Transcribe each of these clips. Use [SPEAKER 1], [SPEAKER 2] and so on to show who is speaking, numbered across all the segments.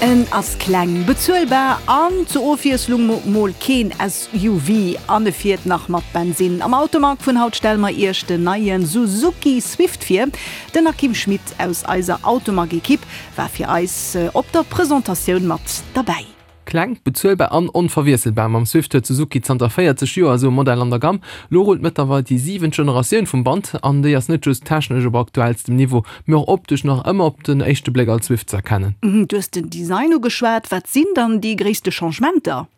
[SPEAKER 1] En ass kleng, bezuelbar an zur Ofwiesslung mol keen SUV an e fiert nach mat Bensinn. Am Automag vun haut stelle mer iech den neie Suzuki Swift vir. Den Akim Schmit aus eiser Automag-Ekipp war fir eis op der Presentatioun mat derbäi.
[SPEAKER 2] Kleng, bezuelbar an onverwiesselbar, mam Swift huet Suzuki zanter 40 Joer esou e Modell an der Gamm. Lo rullt mëttlerweil déi siwent Generatioun vum Band an déi ass net just technesch op aktuellstem Niveau, mee och optesch nach ëmmer op den éischte Bléck als Swift ze erkennen.
[SPEAKER 1] Du hues den Design ugeschwat, wat sinn dann déi gréisste Changementer?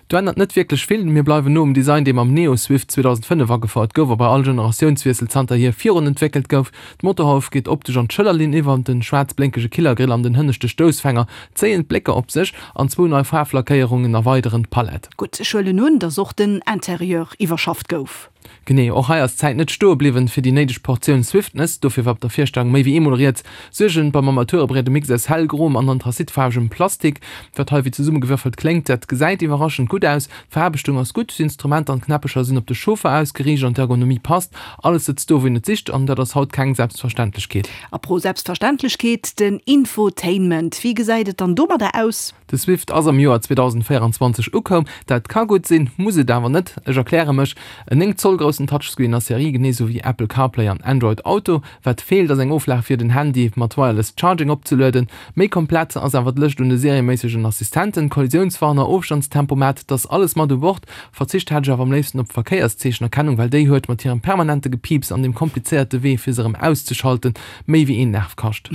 [SPEAKER 2] Do ännert net wierklech vill, mir bleiwen no um Design, dee mam Neo Swift 2005 agefouert gouf a bei all Generatiounswiessel zanterhier virun entwéckelt gouf. D'Motorhauf geet optesch an d'Schëllerlinn iwwer, den schwaarz blénkege Killergrill an den hënneschte Stoussfänger zéien d'Blécker op sech an zwou nei Faarflackéierungen erweideren d'Palett.
[SPEAKER 1] Gutt, ech huelen un, dass och den Interieur iwwerschafft gouf.
[SPEAKER 2] Genee, och hei ass d'Zäit net stoe bliwwen fir déi néideg Portioun Swiftness. Dofir war op der Virstellung méi wéi eemol rieds. Suergen beim Armaturebriet e Mix aus hellgroem an anthrazitfaarwegem Plastik. Wat hei wéi zesummegewürfelt kléngt, dat gesäit iwwerraschend gutt aus. D'Veraarbechtung ass gutt, d'Instrumenter an d'Knäppecher sinn op de Chauffer ausgeriicht an d'Ergonomie passt. Alles sëtzt do wou een et sicht an dat ass haut keng Selbstverständlechkeet.
[SPEAKER 1] Apropos Selbstverständlechkeet, den Infotainment, wéi gesäit et dann domadder aus?
[SPEAKER 2] De Swift ass am Joer 2024 ukoum. Dat ka gutt sinn, muss et awer net. Ech erkläre mech, En 9 Zoll groussen Touchscreen a Serie, genee sou wéi Apple CarPlay an Android Auto. Wat feelt ass eng Oflag fir den Handy mat Wireless Charging opzelueden. Méi komplett ass awer d'Lëscht un de serieméissegen Assistenten, Kollisiounswarner, Ofstandstempomat, t'ass alles mat u Bord. Verzicht hätt ech awer am léifsten op d'Verkéierszeechenerkennung, well déi huet mat hirem permanente Gepieps an dem komplizéierte Wee fir se erëm auszeschalten méi wéi een Nerv kascht.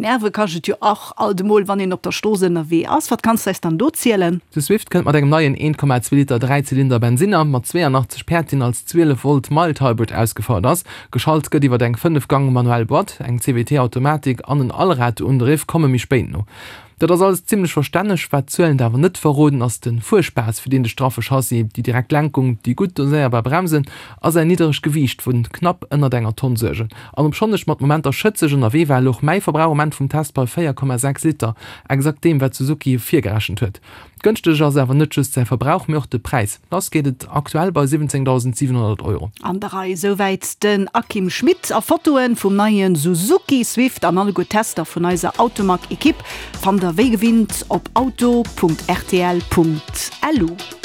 [SPEAKER 1] Nerve kascht et jo och alt emol, wann een op der Strooss ënnerwee ass. Wat kanns de eis dann do zielen?
[SPEAKER 2] De Swift kënnt mat engem neien 1,2 Liter Dräizylinder Bensinner mat 82 Päerd, deen als 12 Volt Mild Hybrid ausgefouert ass. Geschalt gëtt iwwer eng 5 Gang manuell Boîte, eng CVT Automatik an en Allradundriff komme méi spéit no. Dat ass alles zimlech verstänneg. Wat d'Zuelen awer net verroden, ass de Fuerspaass, fir deen de straffe Chassis, déi direkt Lenkung, déi gutt doséierbar Bremsen a säin nidderegt Gewiicht vu knapp ënnert enger Tonn suergen. An obschonn ech mat Momenter schëtzeg ënnerwee war, louch mäi Verbrauch um Enn vum Test bei 4,6 Liter, exakt deem, wat Suzuki virgerechent huet. Gënschteg ass awer net just säi Verbrauch, mee och de Präis. Lass geet et aktuell bei 17.700 Euro.
[SPEAKER 1] An der Rei, souwäit den Akim Schmit. A Fotoen vum neien Suzuki Swift an alleguer Tester vun eiser Automag Ekipp fannt der wéi gewinnt op auto.rtl.lu.